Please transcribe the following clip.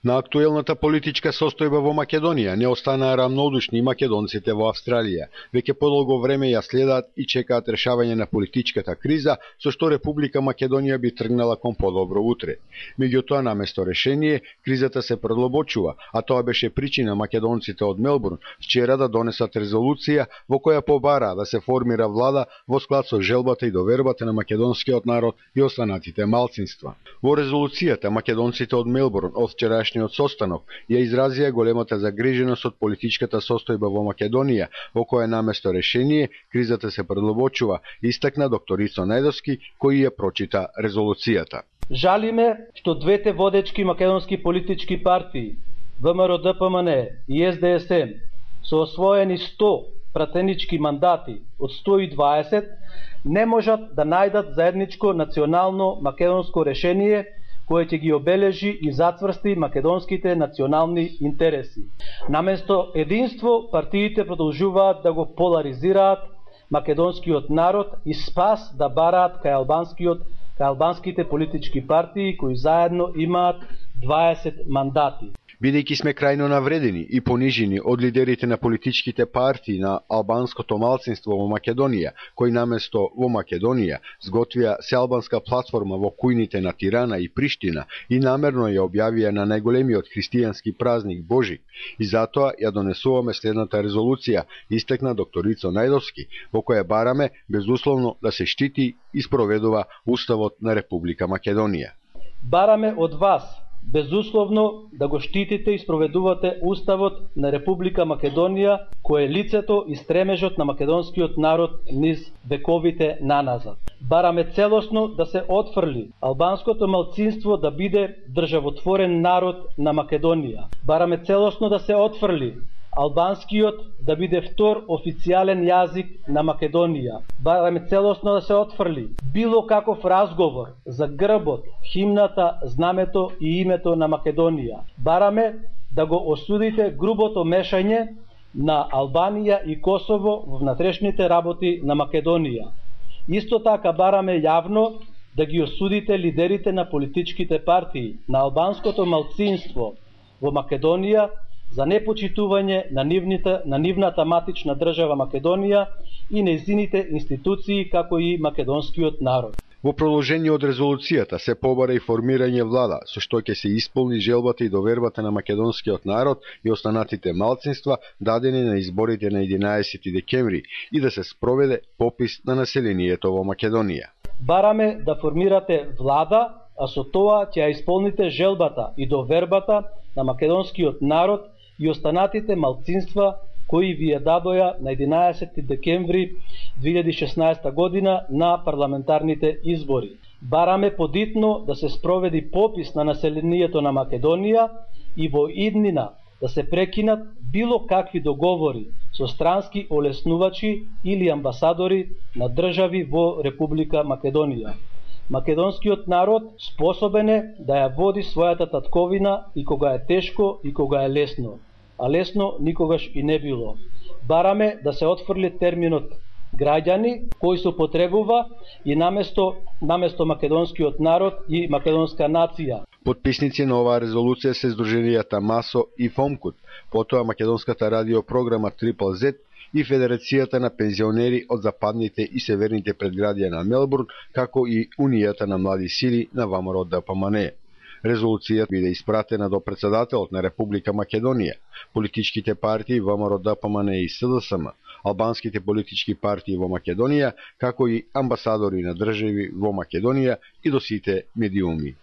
На актуелната политичка состојба во Македонија не останаа рамнодушни македонците во Австралија. Веќе подолго време ја следат и чекаат решавање на политичката криза, со што Република Македонија би тргнала кон подобро утре. Меѓутоа, наместо решение, кризата се продлабочува, а тоа беше причина македонците од Мелбурн вчера да донесат резолуција во која побараа да се формира влада во склад со желбата и довербата на македонскиот народ и останатите малцинства. Во резолуцијата македонците од Мелбурн од вчерашниот состанок ја изразија големата загриженост од политичката состојба во Македонија, во која наместо решение кризата се продлабочува, истакна доктор Ицо Најдовски, кој ја прочита резолуцијата. Жалиме што двете водечки македонски политички партии, ВМРО-ДПМН и СДСМ, со освоени 100 пратенички мандати од 120, не можат да најдат заедничко национално македонско решение кој ќе ги обележи и зацврсти македонските национални интереси. Наместо единство, партиите продолжуваат да го поларизираат македонскиот народ и спас да бараат кај албанските политички партии кои заедно имаат 20 мандати. Бидејќи сме крајно навредени и понижени од лидерите на политичките партии на албанското малцинство во Македонија, кои наместо во Македонија сготвија сеалбанска платформа во кујните на Тирана и Приштина и намерно ја објавија на најголемиот христијански празник Божик, и затоа ја донесуваме следната резолуција, истекна доктор Ицо Најдовски, во која бараме безусловно да се штити и спроведува Уставот на Република Македонија. Бараме од вас безусловно да го штитите и спроведувате Уставот на Република Македонија, кој е лицето и стремежот на македонскиот народ низ вековите наназад. Бараме целосно да се отфрли албанското малцинство да биде државотворен народ на Македонија. Бараме целосно да се отфрли албанскиот да биде втор официјален јазик на Македонија. Бараме целосно да се отфрли било каков разговор за грбот, химната, знамето и името на Македонија. Бараме да го осудите грубото мешање на Албанија и Косово во внатрешните работи на Македонија. Исто така бараме јавно да ги осудите лидерите на политичките партии на албанското малцинство во Македонија за непочитување на нивната матична држава Македонија и нејзините институции, како и македонскиот народ. Во продолжение од резолуцијата се побара и формирање влада, со што ќе се исполни желбата и довербата на македонскиот народ и останатите малцинства дадени на изборите на 11 декември и да се спроведе попис на населението во Македонија. Бараме да формирате влада, а со тоа ќе ја исполните желбата и довербата на македонскиот народ и останатите малцинства кои ви ја дадоја на 11 декември 2016 година на парламентарните избори. Бараме подитно да се спроведи попис на населението на Македонија и во иднина да се прекинат било какви договори со странски олеснувачи или амбасадори на држави во Република Македонија. Македонскиот народ способен е да ја води својата татковина и кога е тешко и кога е лесно, а лесно никогаш и не било. Бараме да се отфрли терминот граѓани кој се употребува и наместо македонскиот народ и македонска нација. Потписници на оваа резолуција се Сдруженијата МАСО и ФОМКУТ, потоа македонската радиопрограма Трипл Z и Федерацијата на пензионери од западните и северните предградија на Мелбурн, како и Унијата на млади сили на ВМРО-ДПМН. Резолуцијата биде испратена до председателот на Република Македонија, политичките партии ВМРО-ДПМН и СДСМ, албанските политички партии во Македонија, како и амбасадори на држави во Македонија и до сите медиуми.